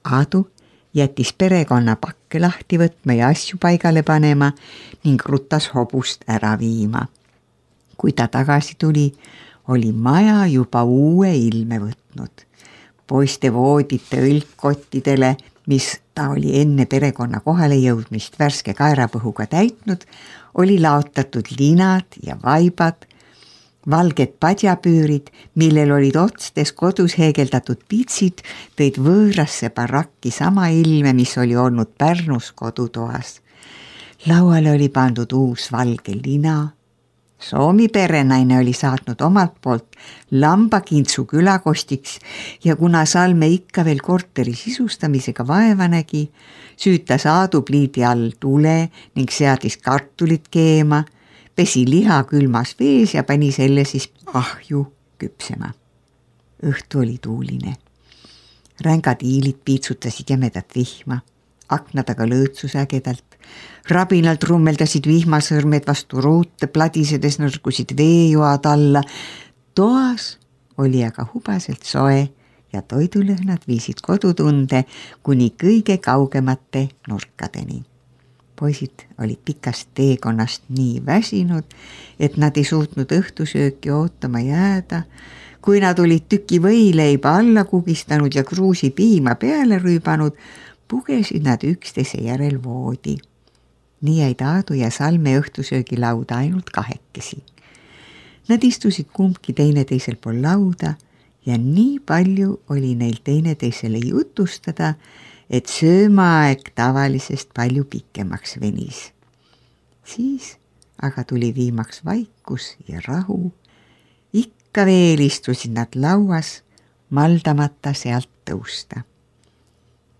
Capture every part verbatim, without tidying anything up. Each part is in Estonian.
Aadu jättis perekonna pakke lahti võtma ja asju paigale panema ning rutas hobust ära viima. Kui ta tagasi tuli, oli maja juba uue ilme võtnud. Poiste voodite õlgkottidele, mis ta oli enne perekonna kohale jõudmist värske kaerapõhuga täitnud, oli laotatud linad ja vaibad, valged padjapüürid, millel olid otstes kodus heegeldatud pitsid, tõid võõrasse barakki sama ilme, mis oli olnud Pärnus kodutoas. Lauale oli pandud uus valge lina. Soomi perenaine oli saatnud omalt poolt lambakintsu külakostiks ja kuna Salme ikka veel korteri sisustamisega vaeva nägi, süütas Aadu pliidi all tule ning seadis kartulit keema, pesi liha külmas vees ja pani selle siis ahju küpsema. Õhtu oli tuuline. Rängad iilid piitsutasid jämedat vihma, aknadaga lõõtsus ägedalt. Rabinalt rummeldasid vihmasõrmed vastu ruute, pladisedes nõrgusid veejoad alla. Toas oli aga hubaselt soe ja toidulõhnad viisid kodutunde kuni kõige kaugemate nurkadeni. Poisid olid pikast teekonnast nii väsinud, et nad ei suutnud õhtusööki ootama jääda. Kui nad olid tüki võileiba alla kugistanud ja kruusi piima peale rüübanud, pugesid nad üksteise järel voodi. Nii jäid Aadu ja Salme õhtusöögi lauda ainult kahekesi. Nad istusid kumbki teineteisel pool lauda ja nii palju oli neil teineteisele jutustada, et söömaaeg tavalisest palju pikemaks venis. Siis aga tuli viimaks vaikus ja rahu. Ikka veel istusid nad lauas, maldamata sealt tõusta.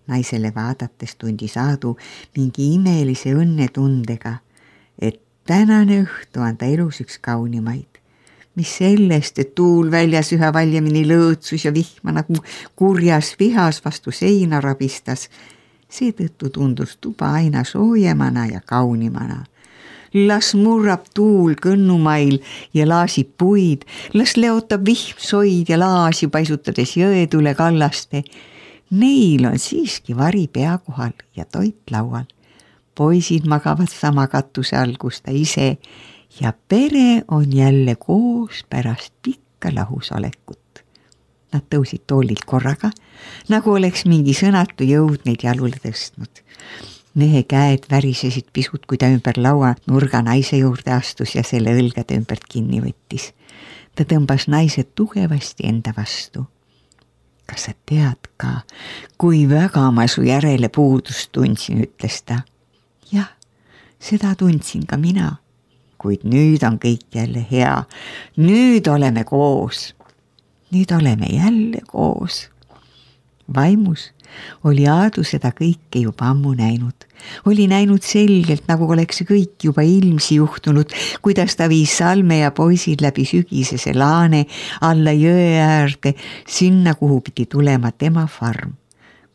Naisele vaadates tundis Aadu mingi imelise õnnetundega, et tänane õhtu on ta elus üks kaunimaid. Mis sellest, et tuul väljas üha valjemini lõõtsus ja vihma nagu kurjas vihas vastu seina rabistas, seetõttu tundus tuba aina soojemana ja kaunimana. Las murrab tuul kõnnumail ja laasib puid, las leotab vihm soid ja laasi paisutades jõetule kallaste. Neil on siiski vari pea kohal ja toit laual. Poisid magavad sama katuse all, kus ta ise ja pere on jälle koos pärast pikka lahusolekut. Nad tõusid toolilt korraga, nagu oleks mingi sõnatu jõud neid jalule tõstnud. Mehe käed värisesid pisut, kui ta ümber laua nurga naise juurde astus ja selle õlgade ümbert kinni võttis. Ta tõmbas naise tugevasti enda vastu. Kas sa tead ka, kui väga ma su järele puudust tundsin, ütles ta. Jah, seda tundsin ka mina, kuid nüüd on kõik jälle hea. Nüüd oleme koos. Nüüd oleme jälle koos. Vaimus oli Aadu seda kõike juba ammu näinud. Oli näinud selgelt, nagu oleks see kõik juba ilmsi juhtunud, kuidas ta viis Salme ja poisid läbi sügisese laane alla jõe äärde, sinna, kuhu pidi tulema tema farm.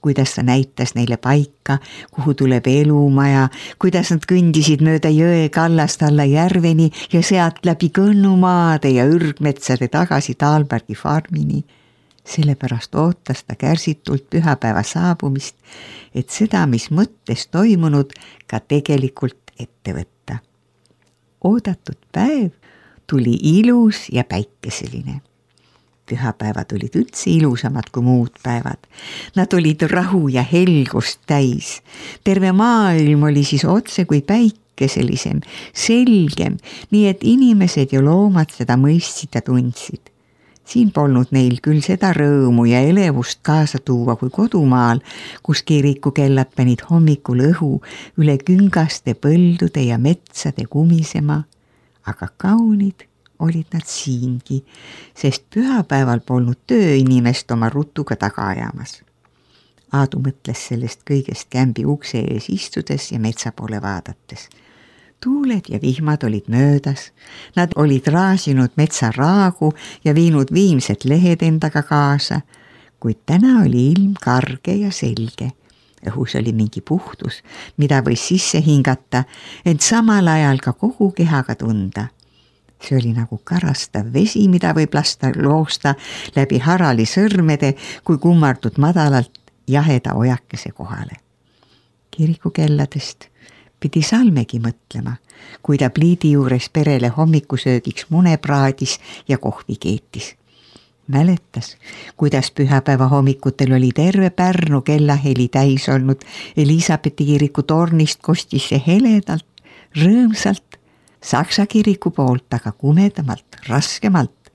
Kuidas ta näitas neile paika, kuhu tuleb elumaja, kuidas nad kõndisid mööda jõe kallast alla järveni ja sealt läbi kõnnumaade ja ürgmetsade tagasi Taalbergi farmini. Sellepärast ootas ta kärsitult pühapäeva saabumist, et seda, mis mõttes toimunud, ka tegelikult ette võtta. Oodatud päev tuli ilus ja päikeseline. Pühapäevad olid üldse ilusamad kui muud päevad. Nad olid rahu ja helgust täis. Terve maailm oli siis otse kui päikeselisem, selgem, nii et inimesed ja loomad seda mõistsid ja tundsid. Siin polnud neil küll seda rõõmu ja elevust kaasa tuua kui kodumaal, kus kirikukellad panid hommikul õhu üle küngaste põldude ja metsade kumisema, aga kaunid olid nad siingi, sest pühapäeval polnud tööinimest oma rutuga taga ajamas. Aadu mõtles sellest kõigest kämbi ukse ees istudes ja metsa poole vaadates. Tuuled ja vihmad olid möödas, nad olid raasinud metsa raagu ja viinud viimsed lehed endaga kaasa, kuid täna oli ilm karge ja selge. Õhus oli mingi puhtus, mida võis sisse hingata, ent samal ajal ka kogu kehaga tunda. See oli nagu karastav vesi, mida võib lasta loosta läbi harali sõrmede, kui kummardud madalalt jaheda ojakese kohale. Kirikukelladest pidi Salmegi mõtlema, kui ta pliidi juures perele hommikusöögiks mune praadis ja kohvi keetis. Mäletas, kuidas pühapäeva hommikutel oli terve Pärnu kellaheli täis olnud. Elisabethi kiriku tornist kostis see heledalt, rõõmsalt, Saksa kiriku poolt aga kumedamalt, raskemalt,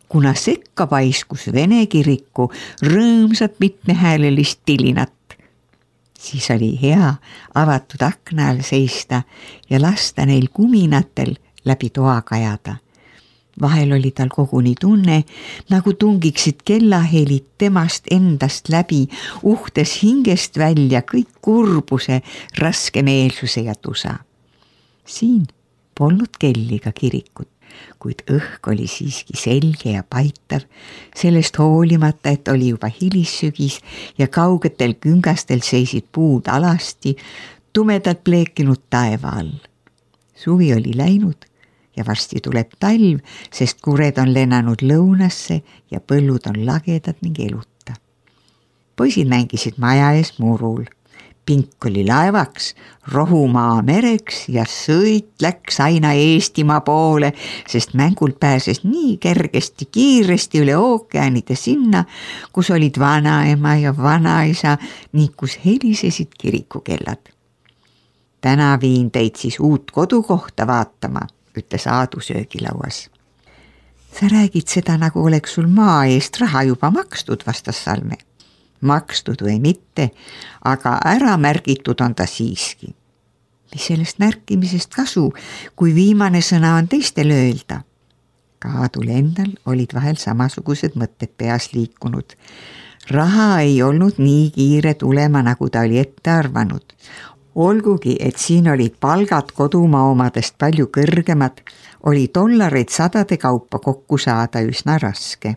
kuna sekka paiskus Vene kiriku rõõmsat mitmehäälelist tilinat. Siis oli hea avatud akna all seista ja lasta neil kuminatel läbi toa kajada. Vahel oli tal koguni tunne, nagu tungiksid kellahelid temast endast läbi, uhtes hingest välja kõik kurbuse, raskemeelsuse ja tusa. Siin polnud kelliga kirikut, kuid õhk oli siiski selge ja paitav, sellest hoolimata, et oli juba hilissügis ja kaugetel küngastel seisid puud alasti, tumedalt pleekinud taeva all. Suvi oli läinud ja varsti tuleb talv, sest kured on lennanud lõunasse ja põllud on lagedad ning eluta. Poisid mängisid maja ees murul. Pink oli laevaks, rohumaa mereks ja sõit läks aina Eestimaa poole, sest mängult pääses nii kergesti, kiiresti üle ookeanide sinna, kus olid vanaema ja vanaisa ning kus helisesid kirikukellad. Täna viin teid siis uut kodukohta vaatama, ütles Aadu söögilauas. Sa räägid seda, nagu oleks sul maa eest raha juba makstud, vastas Salme. Makstud või mitte, aga ära märgitud on ta siiski. Mis sellest märkimisest kasu, kui viimane sõna on teistel öelda? Ka Aadul endal olid vahel samasugused mõtted peas liikunud. Raha ei olnud nii kiire tulema, nagu ta oli ette arvanud. Olgugi, et siin olid palgad kodumaa omadest palju kõrgemad, oli dollareid sadade kaupa kokku saada üsna raske.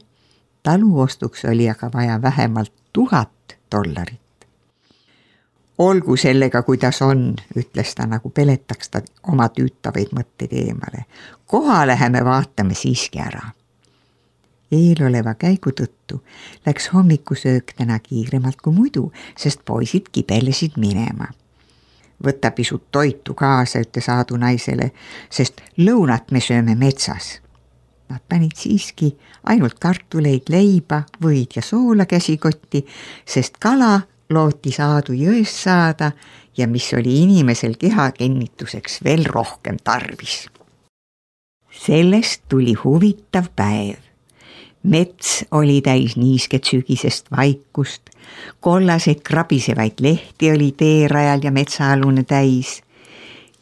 Taluostuks oli aga vaja vähemalt tuhat dollarit. Olgu sellega, kuidas on, ütles ta, nagu peletaks ta oma tüütavaid mõtteid eemale. Koha läheme vaatame siiski ära. Eeloleva käigu tõttu läks hommikusöök täna kiiremalt kui muidu, sest poisid kibelesid minema. Võta pisut toitu kaasa, ütles Aadu naisele, sest lõunat me sööme metsas. Nad panid siiski ainult kartuleid, leiba, võid ja soola käsikotti, sest kala lootis Aadu jõest saada ja mis oli inimesel keha kinnituseks veel rohkem tarvis. Sellest tuli huvitav päev. Mets oli täis niisket sügisest vaikust, kollaseid krabisevaid lehti oli teerajal ja metsaalune täis.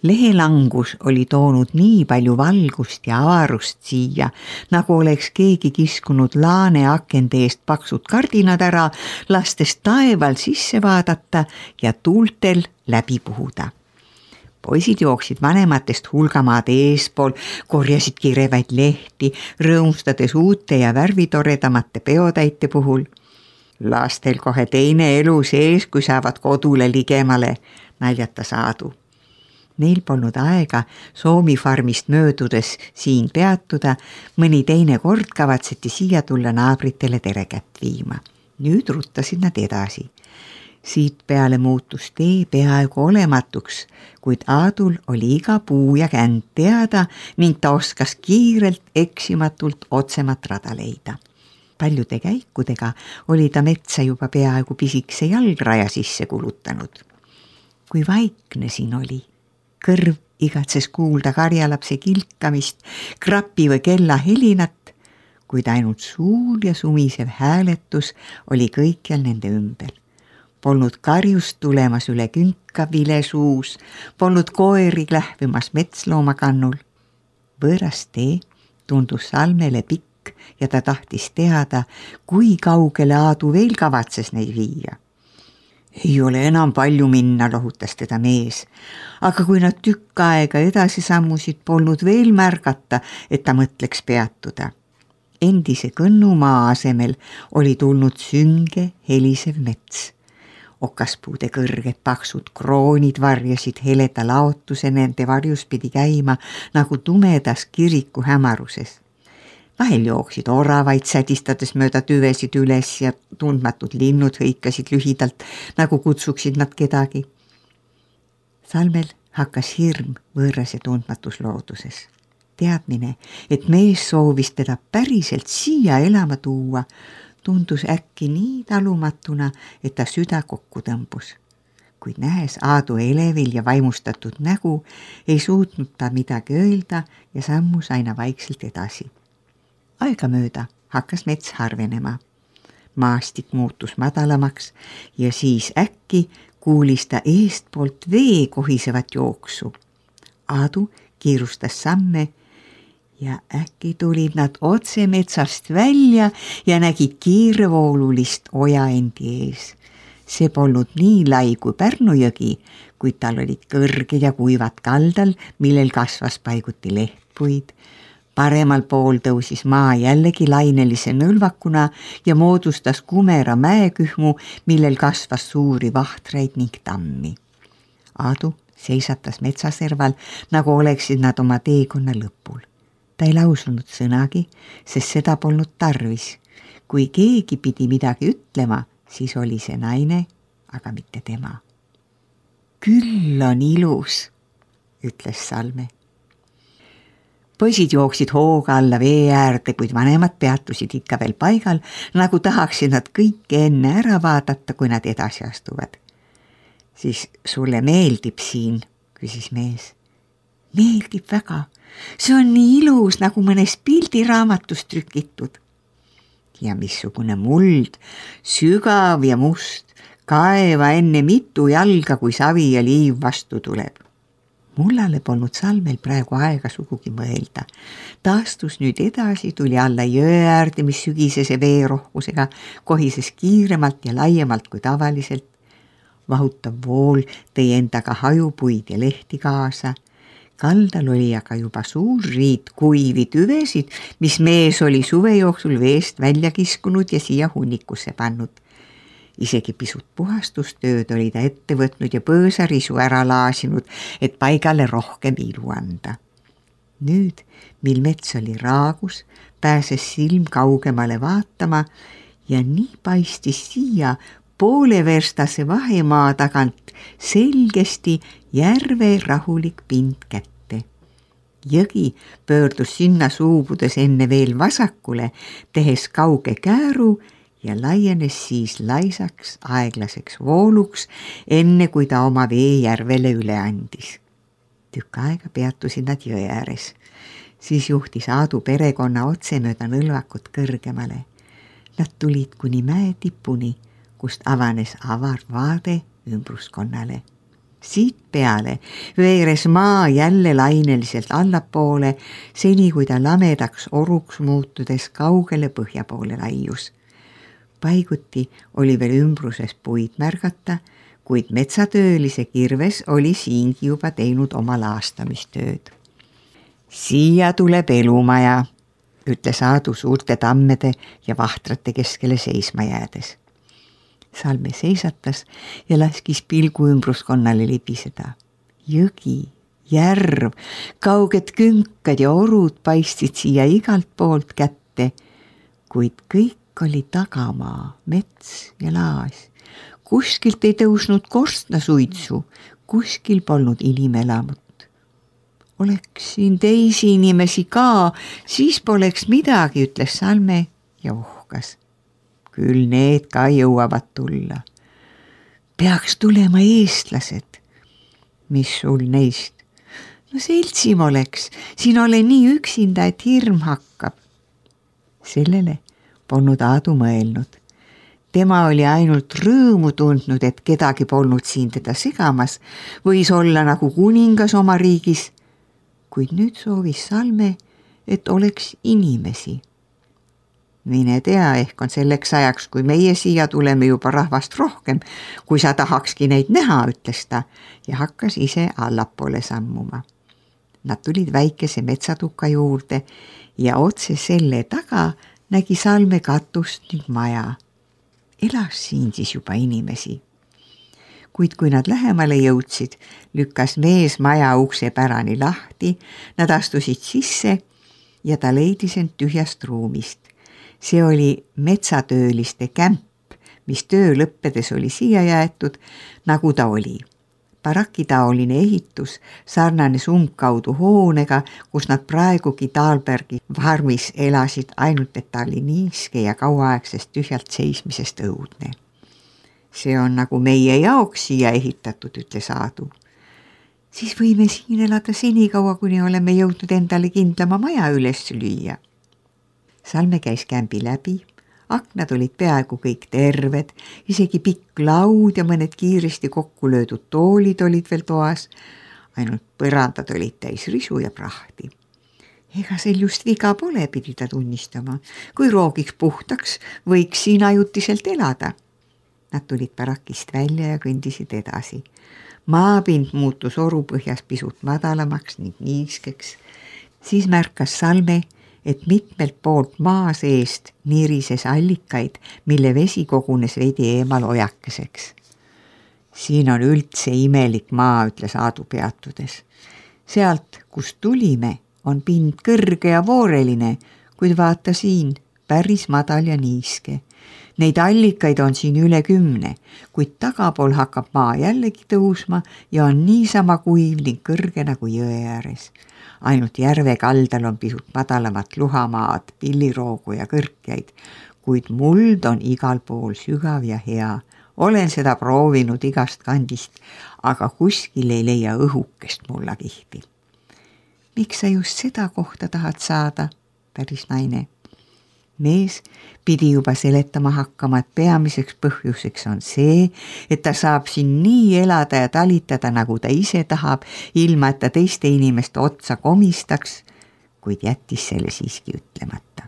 Lehelangus oli toonud nii palju valgust ja avarust siia, nagu oleks keegi kiskunud laane akende eest paksud kardinad ära, lastes taeval sisse vaadata ja tuultel läbi puhuda. Poisid jooksid vanematest hulgamaad eespool, korjasid kirevaid lehti, rõõmustades uute ja värvitoredamate peotäite puhul. Lastel kohe teine elu sees, kui saavad kodule ligemale, naljatas Aadu. Neil polnud aega Soomi farmist möödudes siin peatuda, mõni teine kord kavatseti siia tulla naabritele terekätt viima. Nüüd ruttasid nad edasi. Siit peale muutus tee peaaegu olematuks, kuid Aadul oli iga puu ja känd teada ning ta oskas kiirelt eksimatult otsemat rada leida. Paljude käikudega oli ta metsa juba peaaegu pisikse jalgraja sisse kulutanud. Kui vaikne siin oli, kõrv igatses kuulda karjalapse kilkamist, krapi või kella helinat, kuid ainult suul ja sumisev hääletus oli kõikjal nende ümber. Polnud karjust tulemas üle künka vilesuus, polnud koeri lähvimas metsloomakannul. Võõras tee tundus Salmele pikk ja ta tahtis teada, kui kaugele Aadu veel kavatses neid viia. Ei ole enam palju minna, lohutas teda mees, aga kui nad tükk aega edasi sammusid, polnud veel märgata, et ta mõtleks peatuda. Endise kõnnumaa asemel oli tulnud sünge helisev mets. Okaspuude kõrged paksud kroonid varjasid heleda laotuse, nende varjus pidi käima nagu tumedas kiriku hämaruses. Vahel jooksid oravaid sädistades mööda tüvesid üles ja tundmatud linnud hõikasid lühidalt, nagu kutsuksid nad kedagi. Salmel hakkas hirm võõras ja tundmatus looduses. Teadmine, et mees soovis teda päriselt siia elama tuua, tundus äkki nii talumatuna, et ta süda kokku tõmbus. Kuid nähes Aadu elevil ja vaimustatud nägu, ei suutnud ta midagi öelda ja sammus aina vaikselt edasi. Aegamööda hakkas mets harvenema. Maastik muutus madalamaks ja siis äkki kuulis ta eestpoolt vee kohisevat jooksu. Aadu kiirustas samme ja äkki tulid nad otse metsast välja ja nägid kiirevoolulist oja endi ees. See polnud nii lai kui Pärnu jõgi, kuid tal olid kõrged ja kuivad kaldal, millel kasvas paiguti lehtpuid. Paremal pool tõusis maa jällegi lainelise nõlvakuna ja moodustas Kumera mäekühmu, millel kasvas suuri vahtreid ning tammi. Aadu seisatas metsaserval, nagu oleksid nad oma teekonna lõpul. Ta ei lausunud sõnagi, sest seda polnud tarvis. Kui keegi pidi midagi ütlema, siis oli see naine, aga mitte tema. Küll on ilus, ütles Salme. Poisid jooksid hooga alla vee äärde, kuid vanemad peatusid ikka veel paigal, nagu tahaksid nad kõike enne ära vaadata, kui nad edasi astuvad. Siis sulle meeldib siin, küsis mees. Meeldib väga. See on nii ilus, nagu mõnes pildiraamatus trükitud. Ja missugune muld, sügav ja must, kaeva enne mitu jalga, kui savi ja liiv vastu tuleb. Mullale polnud Salmel praegu aega sugugi mõelda. Ta astus nüüd edasi, tuli alla jõe äärde, mis sügisese veerohkusega kohises kiiremalt ja laiemalt kui tavaliselt. Vahutav vool tõi endaga hajupuid ja lehti kaasa. Kaldal oli aga juba suur riit kuivi tüvesid, mis mees oli suve jooksul veest välja kiskunud ja siia hunnikusse pannud. Isegi pisut puhastustööd oli ta ette võtnud ja põõsarisu ära laasinud, et paigale rohkem ilu anda. Nüüd, mil mets oli raagus, pääses silm kaugemale vaatama ja nii paistis siia pooleverstase vahemaa tagant selgesti järve rahulik pind kätte. Jõgi pöördus sinna suubudes enne veel vasakule, tehes kauge kääru ja laienes siis laisaks aeglaseks vooluks, enne kui ta oma vee järvele üle andis. Tükk aega peatusid nad jõe ääres. Siis juhtis Aadu perekonna otse mööda nõlvakut kõrgemale. Nad tulid kuni mäe tipuni, kust avanes avar vaade ümbruskonnale. Siit peale veeres maa jälle laineliselt allapoole, seni kui ta lamedaks oruks muutudes kaugele põhja poole laius. Paiguti oli veel ümbruses puid märgata, kuid metsatöölise kirves oli siingi juba teinud oma laastamistööd. Siia tuleb elumaja, ütles Aadu suurte tammede ja vahtrate keskele seisma jäädes. Salme seisatas ja laskis pilgu ümbruskonnale libiseda. Jõgi, järv, kauged künkad ja orud paistsid siia igalt poolt kätte, kuid kõik oli tagamaa, mets ja laas. Kuskilt ei tõusnud korstnasuitsu, kuskil polnud inimelamut. Oleks siin teisi inimesi ka, siis poleks midagi, ütles Salme ja uhkas. Küll need ka jõuavad tulla. Peaks tulema eestlased. Mis sul neist? No seltsim oleks, siin ole nii üksinda, et hirm hakkab. Sellele polnud Aadu mõelnud. Tema oli ainult rõõmu tundnud, et kedagi polnud siin teda segamas, võis olla nagu kuningas oma riigis, kuid nüüd soovis Salme, et oleks inimesi. Mine tea, ehk on selleks ajaks, kui meie siia tuleme juba rahvast rohkem, kui sa tahakski neid näha, ütles ta ja hakkas ise allapoole sammuma. Nad tulid väikese metsatuka juurde ja otse selle taga nägi Salme katust ning maja. Elas siin siis juba inimesi. Kuid kui nad lähemale jõudsid, lükkas mees maja ukse pärani lahti, nad astusid sisse ja ta leidis end tühjast ruumist. See oli metsatööliste kämp, mis töö lõppedes oli siia jäetud, nagu ta oli. Barakitaoline ehitus sarnanes umbkaudu hoonega, kus nad praegugi Dahlbergi farmis elasid, ainult et ta oli niiske ja kauaaegsest tühjalt seismisest õudne. See on nagu meie jaoks siia ehitatud, ütles Aadu. Siis võime siin elada senikaua, kuni oleme jõudnud endale kindlama maja üles lüüa. Salme käis kämbi läbi. Aknad olid peaaegu kõik terved, isegi pikk laud ja mõned kiiresti kokku löödud toolid olid veel toas, ainult põrandad olid täis risu ja prahti. Ega sel just viga pole, pidi ta tunnistama. Kui roogiks puhtaks, võiks siin ajutiselt elada. Nad tulid barakist välja ja kõndisid edasi. Maapind muutus orupõhjas pisut madalamaks ning niiskeks. Siis märkas Salme, et mitmelt poolt maa seest nirises allikaid, mille vesi kogunes veidi eemal ojakeseks. Siin on üldse imelik maa, ütles Aadu peatudes. Sealt, kust tulime, on pind kõrge ja vooreline, kuid vaata siin, päris madal ja niiske. Neid allikaid on siin üle kümne, kuid tagapool hakkab maa jällegi tõusma ja on niisama kuiv ning kõrge nagu jõe ääres. Ainult järve kaldal on pisut madalamat luhamaad, pilliroogu ja kõrkjaid, kuid muld on igal pool sügav ja hea. Olen seda proovinud igast kandist, aga kuskil ei leia õhukest mullakihti. Miks sa just seda kohta tahad saada, päris naine? Mees pidi juba seletama hakkama, et peamiseks põhjuseks on see, et ta saab siin nii elada ja talitada, nagu ta ise tahab, ilma et ta teiste inimeste otsa komistaks, kuid jättis selle siiski ütlemata.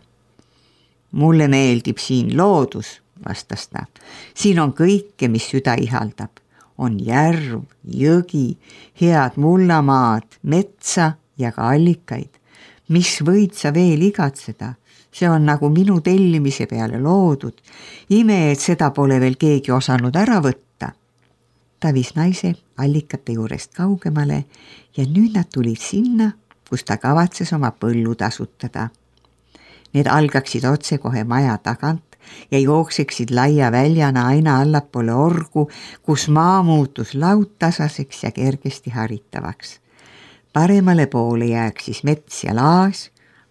Mulle meeldib siin loodus, vastas ta. Siin on kõike, mis süda ihaldab. On järv, jõgi, head mullamaad, metsa ja ka allikaid. Mis võid sa veel igatseda? See on nagu minu tellimise peale loodud. Ime, et seda pole veel keegi osanud ära võtta. Ta viis naise allikate juurest kaugemale ja nüüd nad tulid sinna, kus ta kavatses oma põllu tasutada. Need algaksid otse kohe maja tagant ja jookseksid laia väljana aina allapoole orgu, kus maa muutus laudtasaseks ja kergesti haritavaks. Paremale poole jääks siis mets ja laas,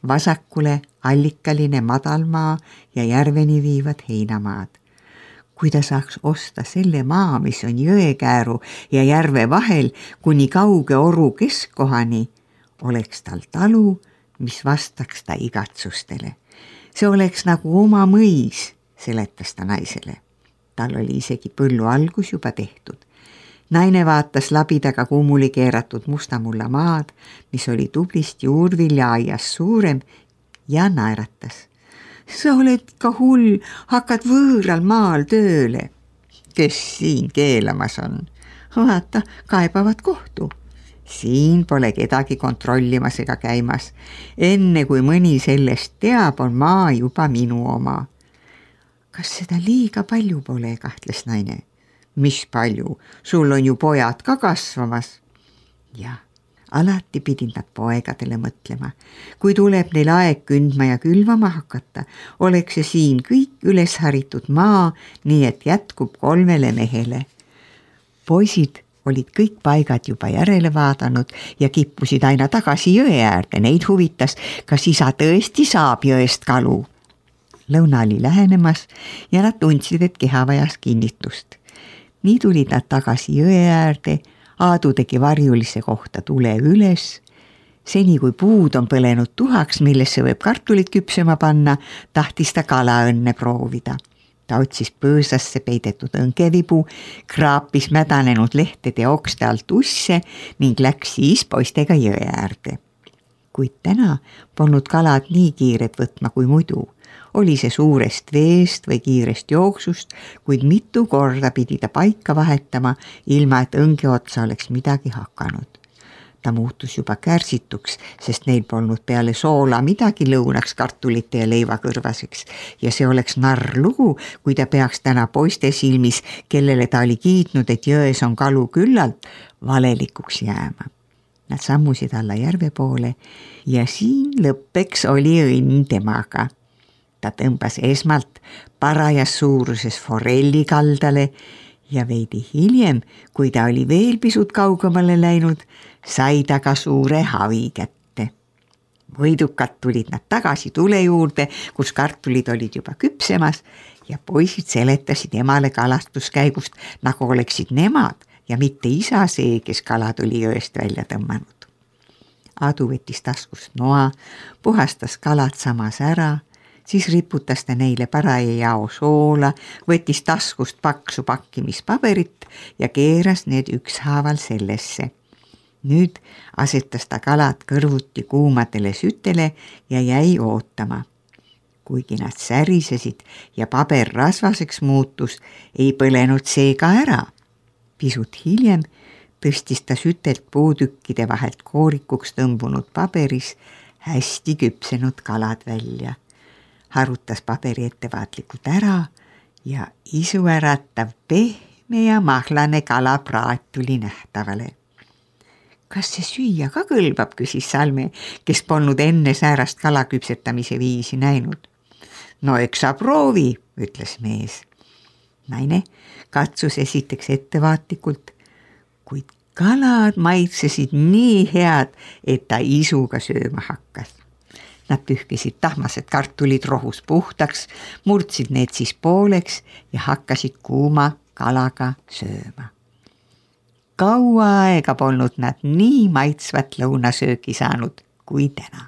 vasakule allikaline madalmaa ja järveni viivad heinamaad. Kui ta saaks osta selle maa, mis on jõekääru ja järve vahel kuni kauge oru keskkohani, oleks tal talu, mis vastaks ta igatsustele. See oleks nagu oma mõis, seletas ta naisele. Tal oli isegi põllu algus juba tehtud. Naine vaatas labidaga kummuli keeratud mustamulla maad, mis oli tublist juurvilja aias suurem ja naeratas. Sa oled ka hull, hakkad võõral maal tööle. Kes siin keelamas on? Vaata, kaebavad kohtu. Siin pole kedagi kontrollimas ega käimas. Enne kui mõni sellest teab, on maa juba minu oma. Kas seda liiga palju pole, kahtles naine? Mis palju? Sul on ju pojad ka kasvamas. Ja, alati pidid nad poegadele mõtlema. Kui tuleb neil aeg kündma ja külvama hakata, oleks see siin kõik üles haritud maa, nii et jätkub kolmele mehele. Poisid olid kõik paigad juba järele vaadanud ja kippusid aina tagasi jõe äärde. Neid huvitas, kas isa tõesti saab jõest kalu. Lõuna oli lähenemas ja nad tundsid, et keha vajas kinnitust. Nii tulid nad tagasi jõe äärde, Aadu tegi varjulise kohta tule üles. Seni kui puud on põlenud tuhaks, millesse võib kartulit küpsema panna, tahtis ta kala õnne proovida. Ta otsis põõsasse peidetud õngevipuu, kraapis mädanenud lehtede okste alt usse ning läks siis poistega jõe äärde. Kuid täna polnud kalad nii kiired võtma kui muidu. Oli see suurest veest või kiirest jooksust, kuid mitu korda pidi ta paika vahetama, ilma et õnge otsa oleks midagi hakanud. Ta muutus juba kärsituks, sest neil polnud peale soola midagi lõunaks kartulite ja leiva kõrvaseks ja see oleks narr lugu, kui ta peaks täna poiste silmis, kellele ta oli kiitnud, et jões on kalu küllalt, valelikuks jääma. Nad sammusid alla järve poole ja siin lõppeks oli õnn temaga. Ta tõmbas esmalt parajas suuruses forelli kaldale ja veidi hiljem, kui ta oli veel pisut kaugemale läinud, sai ta ka suure havi kätte. Võidukad tulid nad tagasi tule juurde, kus kartulid olid juba küpsemas ja poisid seletasid emale kalastuskäigust, nagu oleksid nemad ja mitte isa see, kes kalad oli jõest välja tõmmanud. Adu võttis taskust noa, puhastas kalad samas ära, siis riputas ta neile paraja jao soola, võttis taskust paksu pakkimispaberit ja keeras need ükshaaval sellesse. Nüüd asetas ta kalad kõrvuti kuumadele sütele ja jäi ootama. Kuigi nad särisesid ja paber rasvaseks muutus, ei põlenud see ka ära. Pisut hiljem tõstis ta sütelt puutükkide vahelt koorikuks tõmbunud paberis hästi küpsenud kalad välja. Harutas paberi ettevaatlikult ära ja isuäratav pehme ja mahlane kalapraat tuli nähtavale. Kas see süüa ka kõlbab, küsis Salme, kes polnud enne säärast kalaküpsetamise viisi näinud. No eks sa proovi, ütles mees. Naine katsus esiteks ettevaatlikult, kuid kalad maitsesid nii head, et ta isuga sööma hakkas. Nad pühkisid tahmased kartulid rohus puhtaks, murdsid need siis pooleks ja hakkasid kuuma kalaga sööma. Kaua aega polnud nad nii maitsvat lõunasööki saanud kui täna.